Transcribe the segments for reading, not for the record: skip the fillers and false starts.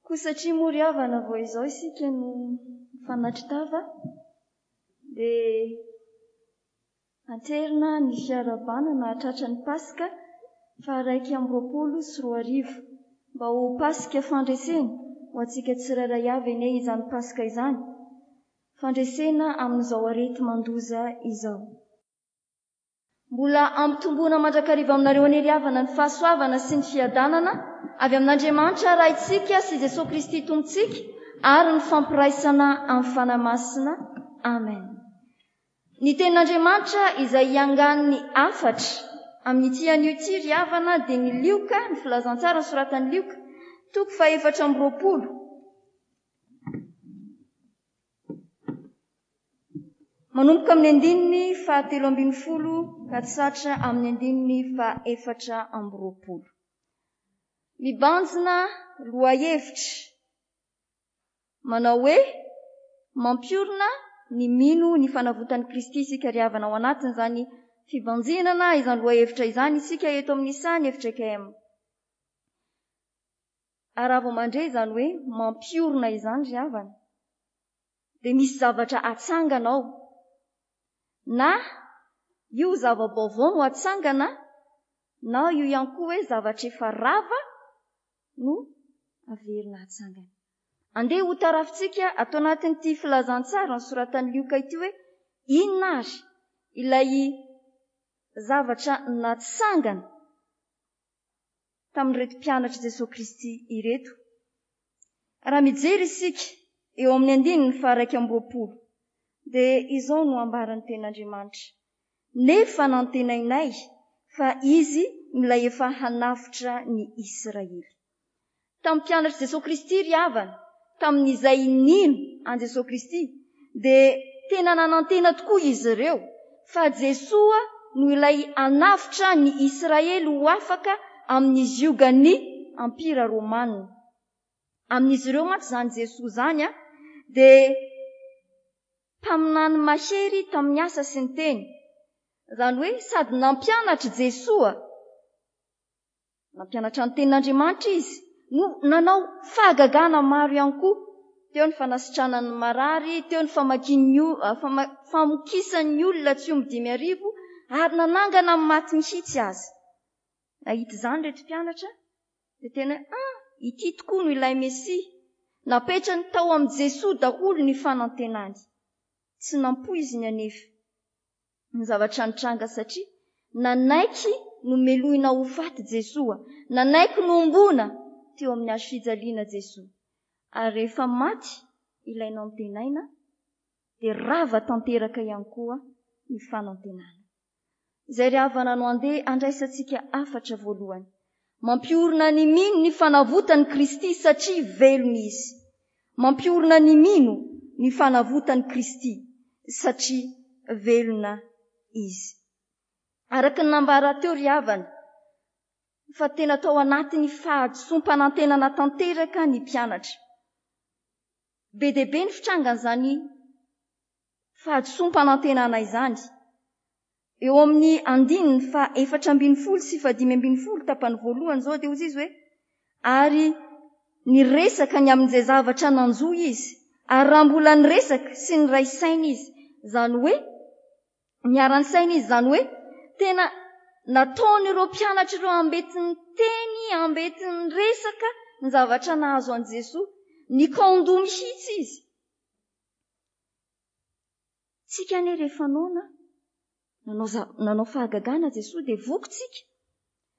Koa satria moa ry havana vao izao isika no mifanatri-tava dia anterina ny fiarahabana nahatratra ny Paska faha 2021. Mba ho Paska fandresena ho antsika tsirairay avy anie izany Paska izany, fandresena amin'izao areti-mandoza izao. Mbola ampitomboina mandrakariva aminareo anie ry havana ny fahasoavana sy ny fiadanana avy amin'Andriamanitra Raintsika sy Jesoa Kristy Tompontsika ary ny fampiraisana amin'ny Fanahy Masina. Amen. Ny tenin'Andriamanitra izay iangan'ny hafatra amin'ity anio ity ry havana dia ny Lioka, ny filazantsara nosoratan'i Lioka, toko fahefatra amby roapolo. Manomboka amin'ny andininy fahatelo ambin'ny folo ka tsatra amin'ny andininy fahaefatra amby roapolo. Mibanjina lohahevitra manao hoe mampiorina ny mino ny fanavotan'i Kristy isika ry havana ao anatin'izany fibanjinana izany lohahevitra izany isika eto amin'ny sahan'ny fjkm. Ary raha vao mandre izany hoe mampiorina izany ry havana, dia misy zavatra atsangana ao. Na io zava-baovao no atsangana, na io ihany koa hoe zavatra efa rava no averina atsangana. Andeha ho tarafintsika ato anatin'ity filazantsara nosoratan'i Lioka ity hoe inona ary ilay zavatra natsangana tamin'ireto mpianatr'i Jesoa Kristy ireto. Raha mijery isika eo amin'ny andininy faha-21 dia izao no ambaran'ny Tenin'Andriamanitra, Nefa nantenainay fa Izy no ilay efa hanavotra ny Isiraely. Tamin'ny mpianatr'i Jesoa Kristy ry havana, tamin'izay nino an'i Jesoa Kristy, dia tena nanantena tokoa izy ireo fa Jesoa no ilay hanavotra ny Isiraely ho afaka amin'ny ziogan'ny Ampira Romana. Amin'izy ireo mantsy izany Jesoa izany dia mpaminany mahery tamin'ny asa sy ny teny. Izany hoe sady nampianatra Jesoa Nampianatra ny Tenin'Andriamanitra izy, no nanao fahagagana maro ihany koa. Teo ny fanasitranany ny marary, teo ny famakian'ny famokisan'ny olona tsy omby 5000, ary nanangana ny maty mihitsy aza. Nahita izany ireto mpianatra, dia tena hoe, ah, ity tokoa no ilay Mesia. Napetrany tao amin'i Jesoa daholo ny fanantenany. Tsy nampoiziny anefa. ny zavatra nitranga satria nanaiky nomelohina ho faty Jesoa, nanaiky nohomboana teo amin'ny hazo fijaliana Jesoa. Ary rehefa maty ilay nantenaina dia rava tanteraka ihany koa ny fanantenana. Izay ry havana no andeha handraisantsika hafatra voalohany. Mampiorina ny mino ny fanavotan'i Kristy satria velona Izy. Mampiorina ny mino ny fanavotan'i Kristy satria velona Izy. Araka ny nambara teo ry havana fa tena tao anatin'ny fahadisoam-panantenana tanteraka ny mpianatra. Be dia be ny fitrangan'izany fahadisoam-panantenana izany. Eo amin'ny andininy faha 14 sy faha 15 tapany voalohany izao dia hozy izy hoe, Ary niresaka ny amin'izay zavatra nanjo izy, ary raha mbola niresaka sy niray saina izy, izany hoe niara-nisaina izy, izany hoe tena nataon'ireo mpianatra ireo ambetin'ny teny, ambetin'ny resaka ny zavatra nahazo an'i Jesoa. Nikaon-doha mihitsy izy. Tsika anie rehefa noana, nanao, nanao fahagagana Jesoa dia voky tsika.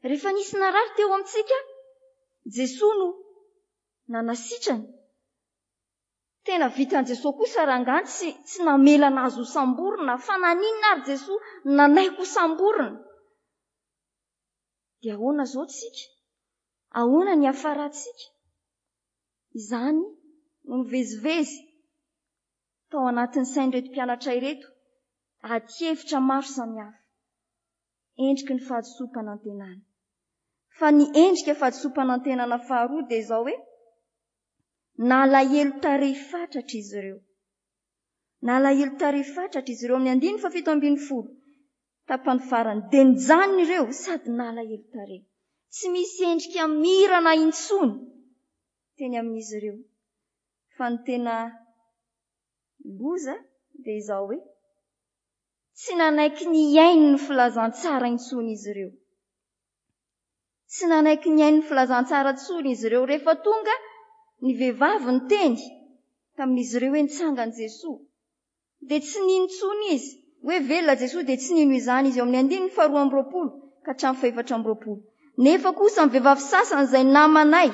Rehefa nisy narary teo amintsika, Jesoa no nanasitrana. Tena vitan'i Jesoa kosa rangahy tsy, tsy namelana azy ho samborina, fa naninona ary Jesoa nanaiky ho samborina? Dia ahoana izao tsika? Ahoana ny hiafarantsika? Izany no mivezivezy tao anatin'ny sain'ireto mpianatra ireto adihevitra maro samihafa, endriky ny fahadisoam-panantenana. Fa ny endrika fahadisoam-panantenana faharoa dia izao hoe, nalahelo tarehy fatratra izy ireo. Nalahelo tarehy fatratra izy ireo amin'ny andininy faha-17, tapany farany, dia nijanona ireo sady nalahelo tarehy. Tsy misy endrika mirana intsony. teny amin'izy ireo. Fa ny tena loza dia izao hoe, tsy nanaiky nihaino ny filazantsara intsony izy ireo. Tsy nanaiky nihaino ny filazantsara intsony izy ireo. Rehefa tonga ny vehivavy niteny tamin'izy ireo hoe nitsangana Jesoa, dia tsy nino intsony izy. Hoe velona Jesoa dia tsy nino izany izy. Eo amin'ny andininy faharoa amby roapolo ka hatramin'ny fahefatra amby roapolo. Nefa kosa ny vehivavy sasany izay namanay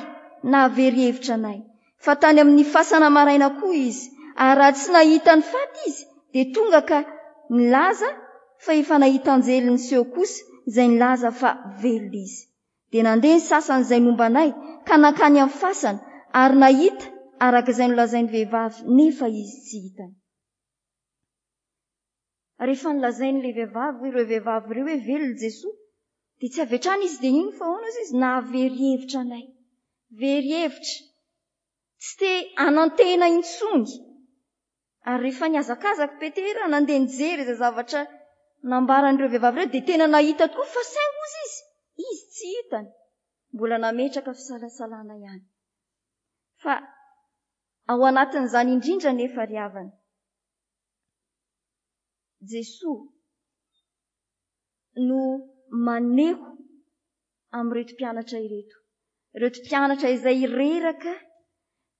nahavery hevitra anay, fa tany amin'ny fasana maraina koa izy, ary raha tsy nahita ny faty izy, dia tonga ka nilaza fa efa nahita anjely niseho kosa izay nilaza fa velona izy. Dia nandeha ny sasany izay nomba anay ka nankany amin'ny fasana ary nahita araka izay nolazain'ny vehivavy nefa izy tsy hitany. Rehefa nolazain'ilay vehivavy, ireo vehivavy ireo hoe velona Jesoa, dia tsy avy hatrany izy dia nino fa ahoana hozy izy? Nahavery hevitra anay. Very hevitra. Tsy te hanantena intsony. Ary rehefa nihazakazaka Petera nandeha nijery izay zavatra nambaran'ireo vehivavy ireo dia tena nahita tokoa fa saingy hozy izy, izy tsy hitany. Mbola nametraka fisalasalana ihany. Fa ao anatin'izany indrindra anefa ry havana, Jesoa no maneho amin'ireto mpianatra ireto. Ireto mpianatra izay reraka,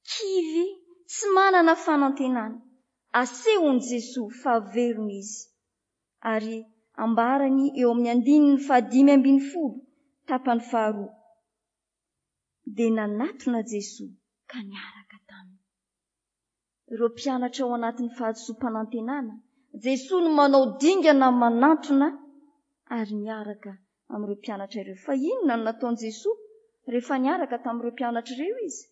kivy, tsy manana fanantenana. Asehon'i Jesoa fa velona izy. Ary ambarany eo amin'ny andininy fahadimy ambin'ny folo, tapany faharoa. Dia nanatona Jesoa ka niaraka taminy. Ireo mpianatra ao anatin'ny fahadisoam-panantenana, Jesoa no manao dingana manantona ary miaraka amin'ireo mpianatra ireo. Fa inona no nataon'i Jesoa rehefa niaraka tamin'ireo mpianatra ireo izy?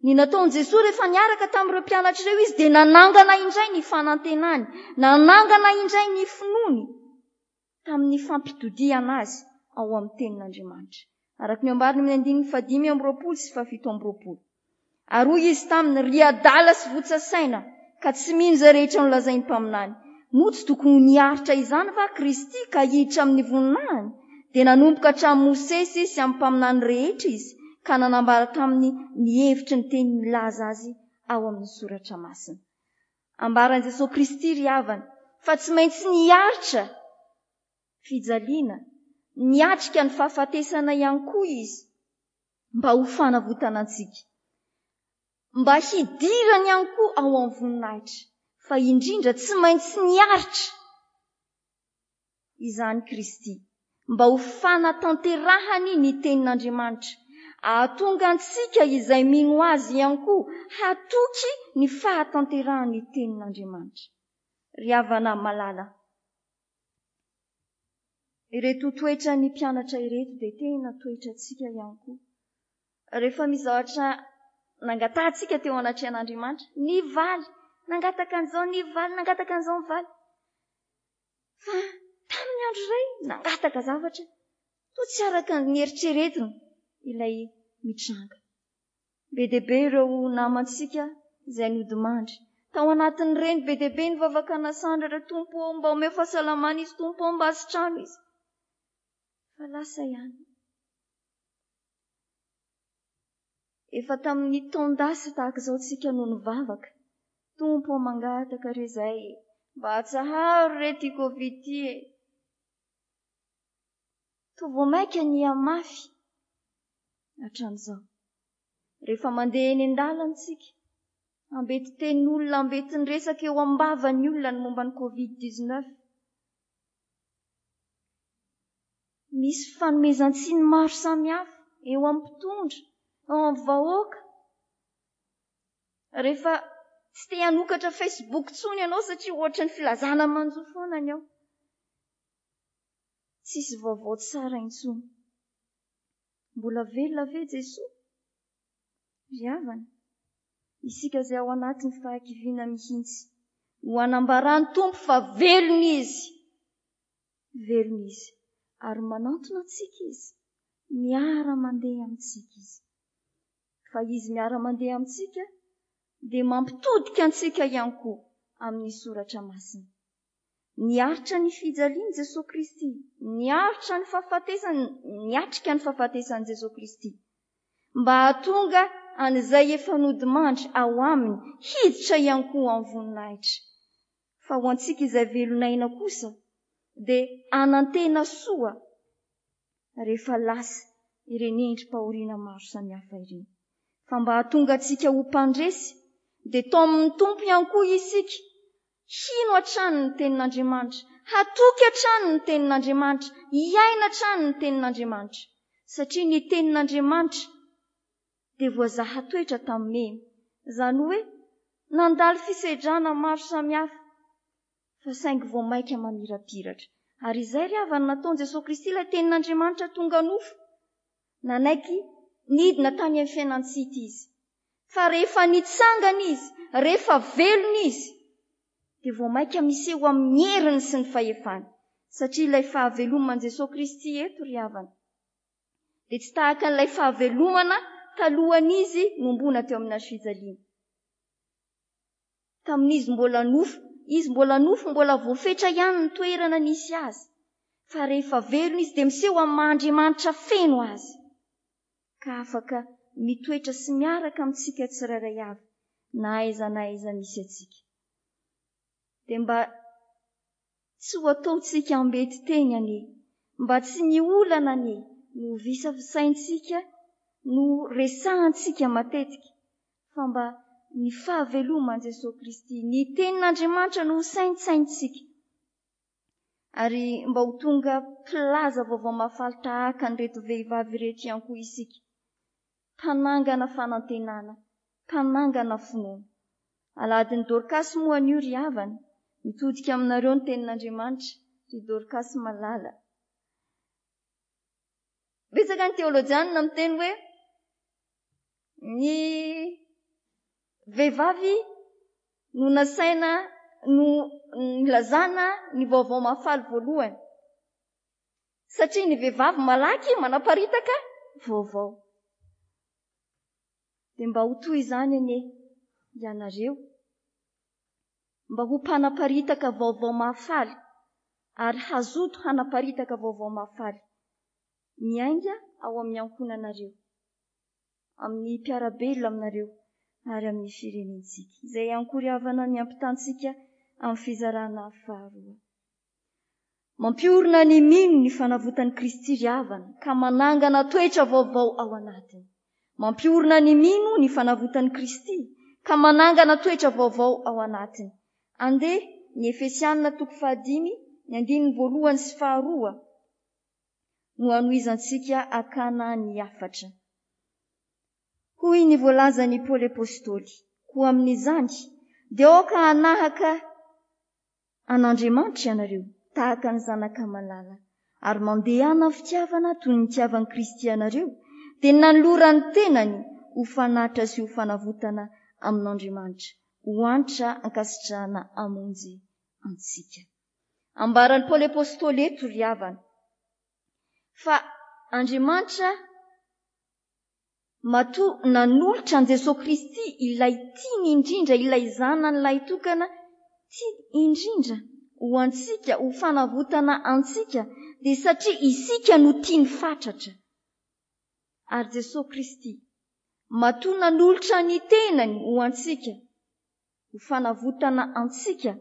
Ny nataon'i Jesoa rehefa niaraka tamin'ireo mpianatra ireo izy dia nanangana indray ny fanantenany, nanangana indray ny finoany tamin'ny fampitodihana azy ao amin'ny tenin'Andriamanitra. Araka ny ambarany amin'ny andininy fahadimy amby roapolo sy fahafito amby roapolo. Ary hoy izy taminy, Ry adala sy votsa saina, ka tsy mino izay rehetra nolazain'ny mpaminany. Moa tsy tokony ho niaritra izany va Kristy ka hiditra amin'ny voninahiny? Dia nanomboka hatramin'i Mosesy sy amin'ny mpaminany rehetra izy, ka nanambara taminy ny hevitry ny teny milaza azy ao amin'ny Soratra Masina. Ambaran'i Jesoa Kristy, ry havana, fa tsy maintsy niaritra fijaliana, niatrika ny fahafatesana ihany koa izy, mba ho fanavotana antsika, mba hidirany ihany koa ao amin'ny voninahitra, fa indrindra tsy maintsy niaritra izany Kristy, mba ho fanatanterahany ny tenin'Andriamanitra, hahatonga antsika izay mino Azy ihany koa hatoky ny fahatanterahan'ny tenin'Andriamanitra. Ry havana malala, ireto toetran'ny mpianatra ireto dia tena toetrantsika ihany koa. Rehefa misy zavatra nangatahantsika teo anatrehan'Andriamanitra, nivaly, nangataka an'izao, nivaly, nangataka an'izao, nivaly. Fa tamin'ny andro iray nangataka zavatra toa tsy araka ny eritreretina ilay mitranga. Be dia be ireo namantsika izay nodimandry. Tao anatin'ireny be dia be ny vavaka nasandratra, Tompo ô, mba omeo fahasalamana izy, Tompo ô, mba asitrano izy. Fa lasa ihany. Efa tamin'ny taon-dasa tahaka izao tsika no nivavaka. Tompo ô, mangataka re izay e. Mba atsaharo re ity Covid ity e. Toa vao mainka nihamafy hatramin'izao. Rehefa mandeha eny an-dalana isika, ambeti-tenin'olona, ambetin-dresaka eo am-bavan'ny olona ny momba ny Covid dix-neuf. Misy fanomezan-tsiny maro samihafa eo amin'ny mpitondra, eo amin'ny vahoaka. Rehefa tsy te hanokatra Facebook intsony ianao satria ohatran'ny filazana manjo foana ny ao. Tsisy vaovao tsara intsony. Mbola velona ve Jesoa? Ry havana, isika izay ao anatin'ny fahakiviana mihitsy no hanambaran'ny Tompo fa velona Izy. Velona Izy ary manantona antsika Izy, miara-mandeha amintsika Izy. Fa Izy miara-mandeha amintsika dia mampitodika antsika ihany koa amin'ny Soratra Masina. Niaritra ny fijalian'i Jesoa Kristy, niaritra ny fahafatesany, niatrika ny fahafatesan'i Jesoa Kristy, mba hahatonga an'izay efa nodimandry ao aminy hiditra ihany koa amin'ny voninahitra. Fa ho antsika izay velon'aina kosa dia hanantena soa rehefa lasa ireny endri-pahoriana maro samihafa ireny. Fa mba hahatonga antsika ho mpandresy dia taomin'ny Tompo ihany koa isika hino hatrany ny Tenin'Andriamanitra, hatoky hatrany ny Tenin'Andriamanitra, hiaina hatrany ny Tenin'Andriamanitra. Satria ny Tenin'Andriamanitra dia voazaha toetra tamin'ny memy. Izany hoe nandalo fisedrana maro samihafa fa saingy vao mainka mamirapiratra. Ary izay ry havana nataon'i Jesoa Kristy ilay Tenin'Andriamanitra tonga nofo. Nanaiky nidina tany amin'ny fiainan-tsy hita Izy. Fa rehefa nitsangana Izy, rehefa velona Izy, dia vao mainka miseho amin'ny heriny sy ny fahefany. Satria ilay fahaveloman'i Jesoa Kristy eto ry havana, dia tsy tahaka an'ilay fahavelomana talohan'Izy nombona teo amin'ny hazofijaliana. Tamin'izy mbola nofo, izy mbola nofo mbola voafetra ihany ny toerana nisy azy. Fa rehefa velona izy dia miseho amin'ny maha Andriamanitra feno azy. Ka afaka mitoetra sy miaraka amintsika tsirairay avy na aiza na aiza misy antsika. Dia mba Tsy ho ataontsika ambeti-teny anie, mba tsy ny olana anie no visavisaintsika, no resahantsika matetika, fa mba ny fahaveloman'i Jesoa Kristy, ny Tenin'Andriamanitra no ho saintsaintsika. Ary mba ho tonga mpilaza vaovao mahafaly tahaka an'ireto vehivavy ireto ihany koa isika. Mpanangana fanantenana, mpanangana finoana. Alahadin'i Dorkasy moa anio ry havana, mitodika aminareo ny tenin'Andriamanitra, ry Dorkasy malala. Betsaka ny teolojianina miteny hoe ny vehivavy no nasaina no nilazana ny vaovao mahafaly voalohany. Satria ny vehivavy malaky manaparitaka vaovao. Dia mba ho toy izany anie ianareo, mba ho mpanaparitaka vaovao mahafaly ary hazoto hanaparitaka vaovao mahafaly miainga ao amin'ny ankohonanareo, amin'ny mpiara-belona aminareo ary amin'ny firenentsika. Izay ihany koa ry havana ny ampitantsika amin'ny fizarana faharoa. Mampiorina ny mino ny fanavotan'i Kristy ry havana ka manangana toetra vaovao ao anatiny. Mampiorina ny mino ny fanavotan'i Kristy ka manangana toetra vaovao ao anatiny. Andeha ny Efesianina toko fahadimy, ny andininy voalohany sy faharoa no hanohizantsika hakana ny hafatra. Hoy ny voalazan'i Paoly Apostoly, Koa amin'izany, dia aoka hanahaka an'Andriamanitra ianareo, tahaka ny zanaka malala, ary mandehana amin'ny fitiavana toy ny nitiavan'i Kristy anareo, dia nanolorany tenany ho fanatitra sy ho fanavotana amin'Andriamanitra, ho antra ankasitrahana hamonjy antsika. Ambaran'i Paoly Apostoly eto, ry havana, fa Andriamanitra Matoa nanolotra an'i Jesoa Kristy ilay tiany indrindra, ilay Zanany lahitokana tiany indrindra ho antsika, ho fanavotana antsika, dia satria isika no tiany fatratra. Ary Jesoa Kristy, matoa nanolotra ny tenany ho antsika, ho fanavotana antsika,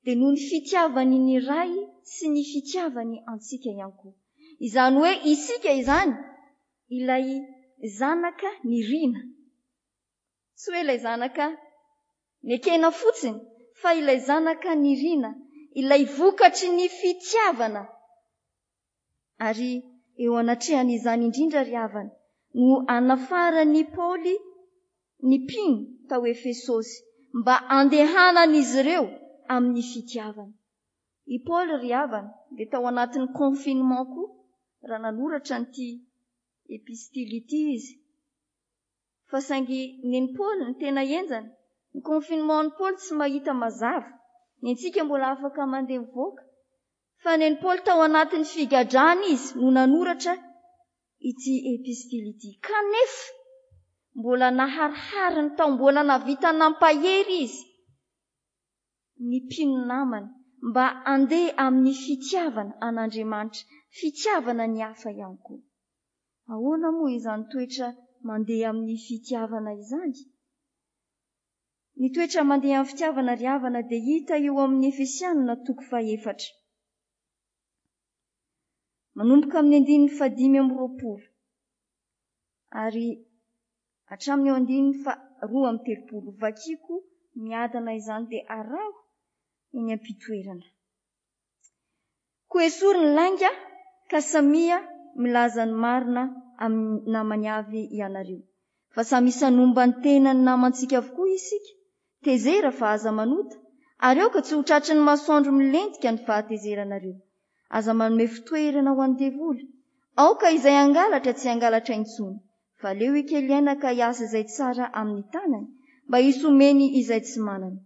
dia noho ny fitiavany ny Ray sy ny fitiavany antsika ihany koa. Izany hoe isika izany ilay zanaka nirina. Tsy hoe ilay zanaka nekena fotsiny, fa ilay zanaka nirina, ilay vokatry ny fitiavana. Ary eo anatrehan'izany indrindra ry havana no anafaran'i Paoly ny mpino tao Efesosy mba handehanan'izy ireo amin'ny fitiavana. I Paoly ry havana dia tao anatin'ny confinement koa raha nanoratra an'ity epistily ity izy. Fa saingy nen'i Paoly ny tena henjana. Ny confinement-n'i Paoly tsy mahita mazava. Ny antsika mbola afaka mandeha mivoaka. Fa nen'i Paoly tao anatin'ny figadrana izy no nanoratra ity epistily ity. Kanefa mbola naharihariny tao, mbola nahavita nampahery izy ny mpino namany mba handeha amin'ny fitiavana an'Andriamanitra, fitiavana ny hafa ihany koa. Ahoana moa izany toetra mandeha amin'ny fitiavana izany? Ny toetra mandeha amin'ny fitiavana ry havana dia hita eo amin'ny Efesianina toko fahefatra. Manomboka amin'ny andininy fahadimy amby roapolo ary hatramin'ny eo andininy faharoa amby telopolo. Vakiko miadana izany dia araho eny am-pitoerana. Koa esory ny lainga ka samia milaza ny marina amin'ny namany avy ianareo. Fa samy isan'omba ny tenan'ny namantsika avokoa isika. Tezera fa aza manota, ary aoka tsy ho tratry ny masoandro milentika ny fahatezeranareo. Aza manome fitoerana ho an'ny devoly. Aoka izay hangalatra tsy hangalatra intsony, fa aleo hikely aina ka hiasa izay tsara amin'ny tanany, mba hisy homeny izay tsy manana.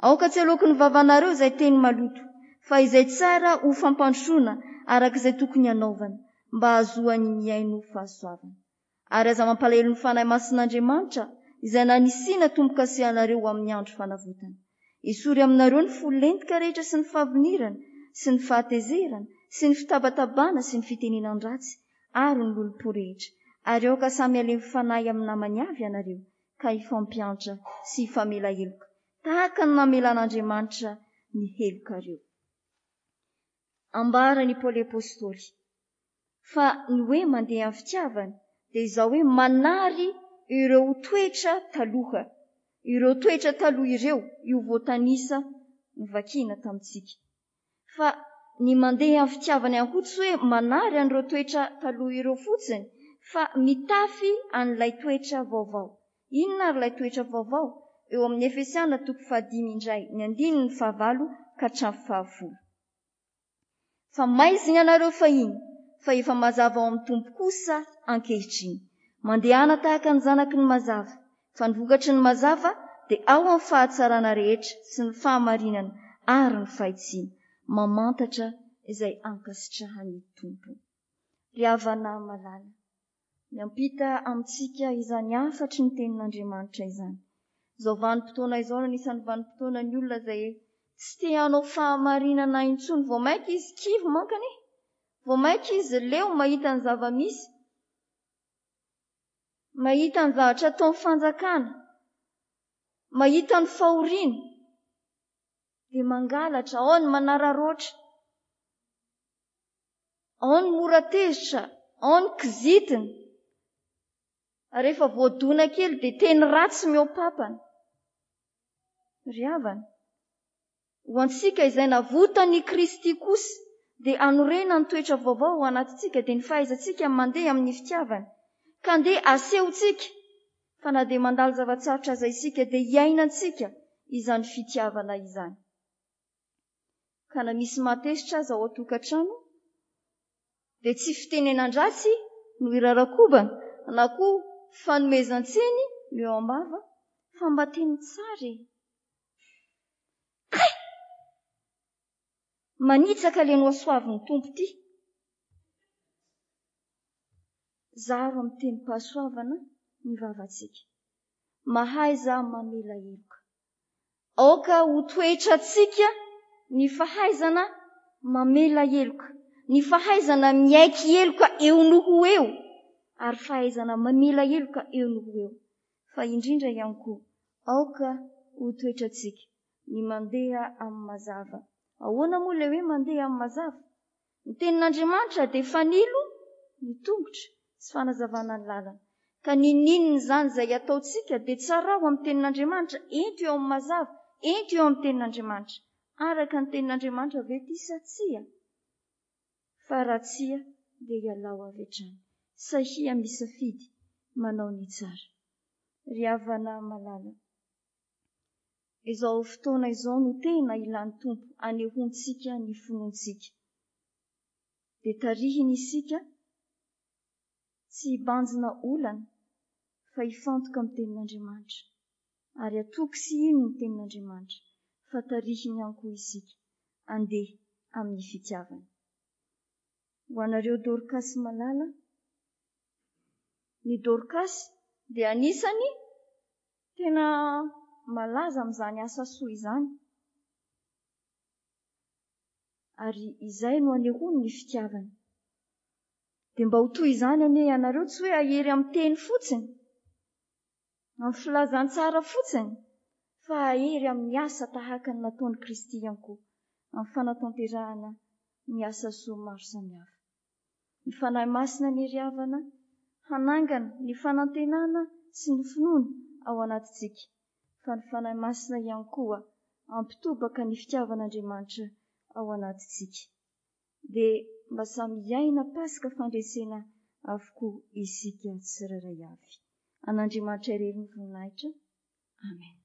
Aoka tsy haloaky ny vavanareo izay teny maloto, fa izay tsara ho fampandrosoana araka izay tokony hanaovana, mba hahazoany mihaino fahasoavana. Ary aza mampalahelo ny Fanahy Masin'Andriamanitra, izay nanisiana tombo-kase anareo ho amin'ny andro fanavotana. Esory aminareo ny fo lentika rehetra sy ny fahavinirana, sy ny fahatezerana, sy ny fitabatabana sy ny fitenenan-dratsy ary ny lolompo rehetra, ary aoka samy halemy fanahy amin'ny namany avy ianareo, ka hifampiantra sy hifamela heloka, tahaka ny namelan'Andriamanitra ny helokareo. Ambaran' i Paoly Apostoly fa ny hoe mandeha amin'ny fitiavana dia izao hoe manary ireo toetra taloha. Ireo toetra taloha ireo, io voatanisa novakiana tamintsika. Fa ny mandeha amin'ny fitiavana ihany koa tsy hoe manary an'ireo toetra taloha ireo fotsiny fa mitafy an'ilay toetra vaovao. Inona ary ilay toetra vaovao? Eo amin'ny Efesiana toko fahadimy indray, ny andininy fahavalo ka hatramin'ny fahafolo. Fa maizina ianareo fahiny, fa efa mazava ao amin'ny Tompo kosa ankehitriny. Mandehana tahaka ny zanaky ny mazava, fa ny vokatry ny mazava dia ao amin'ny fahatsarana rehetra sy ny fahamarinana ary ny fahitsiana, mamantatra izay ankasitrahan'ny Tompo. Ry havana malala, miampita amintsika izany hafatry ny Tenin'Andriamanitra izany. Izao vanim-potoana izao no anisan'ny vanim-potoanan'ny olona izay tsy te hanao fahamarinana intsony. Vao mainka izy kivy manko anie. Vao mainka izy leo mahita ny zava-misy. Mahita ny zavatra ataon'ny fanjakana. Mahita ny fahoriana. Dia mangalatra, ao ny manararaotra. Ao ny mora tezitra, ao ny kizitina. Rehefa voadona kely dia teny ratsy mihoa-papana. Ry havana, ho antsika izay navotan'i Kristy kosa dia hanorenany toetra vaovao ao anatintsika dia ny fahaizantsika mandeha amin'ny fitiavana. Ka andeha asehontsika fa na dia mandalo zava-tsarotra aza isika dia hiainantsika izany fitiavana izany. Ka na misy mahatezitra aza ao an-tokantrano dia tsy fitenenan-dratsy no irarakobana na koa fanomezan-tsiny no eo am-bava fa mba teny tsara e! Kay! Manitsaka le nohasoavin'ny Tompo ty. Zaro amin'ny tenim-pahasoavana ny vavantsika. Mahaiza mamela heloka. Aoka ho toetrantsika ny fahaizana mamela heloka, ny fahaizana miaiky heloka eo no ho eo, ary fahaizana mamela heloka eo no ho eo. Fa indrindra ihany koa, aoka ho toetrantsika ny mandeha amin'ny mazava. Ahoana moa ilay hoe mandeha amin'ny mazava? Ny tenin'Andriamanitra dia fanilo ny tongotra sy fanazavana ny lalana. Ka n'inon'inona izany izay ataontsika dia tsarao amin'ny tenin'Andriamanitra, ento eo amin'ny mazava, ento eo amin'ny tenin'Andriamanitra. Araka ny tenin'Andriamanitra ve ity sa tsia? Fa raha tsia dia ialao avy hatrany. Sahia misafidy manao ny tsara. Ry havana malala, Izao fotoana izao no tena ilan'ny Tompo anehoantsika ny finoantsika. Dia tarihiny isika tsy hibanjina olana fa hifantoka amin'ny Tenin'Andriamanitra. Ary hatoky sy hino ny Tenin'Andriamanitra fa tarihiny ihany koa isika handeha amin'ny fitiavany. Ho anareo Dorkasy malala, ny Dorkasy dia anisany Tena malaza amin'izany asa soa izany. Ary izay no anehoany ny fitiavany. Dia mba ho toy izany anie ianareo, tsy hoe hahery amin'ny teny fotsiny. amin'ny filazantsara fotsiny fa hahery amin'ny asa tahaka ny nataon'i Kristy ihany koa amin'ny fanatanterahana ny asa soa maro samihafa. Ny Fanahy Masina anie ry havana hanangana ny fanantenana sy ny finoana ao anatintsika fa ny Fanahy Masina ihany koa hampitobaka ny fitiavan'Andriamanitra ao anatintsika. Dia mba samy hiaina Paska fandresena avokoa isika tsirairay avy. An'Andriamanitra irery ny voninahitra. Amen.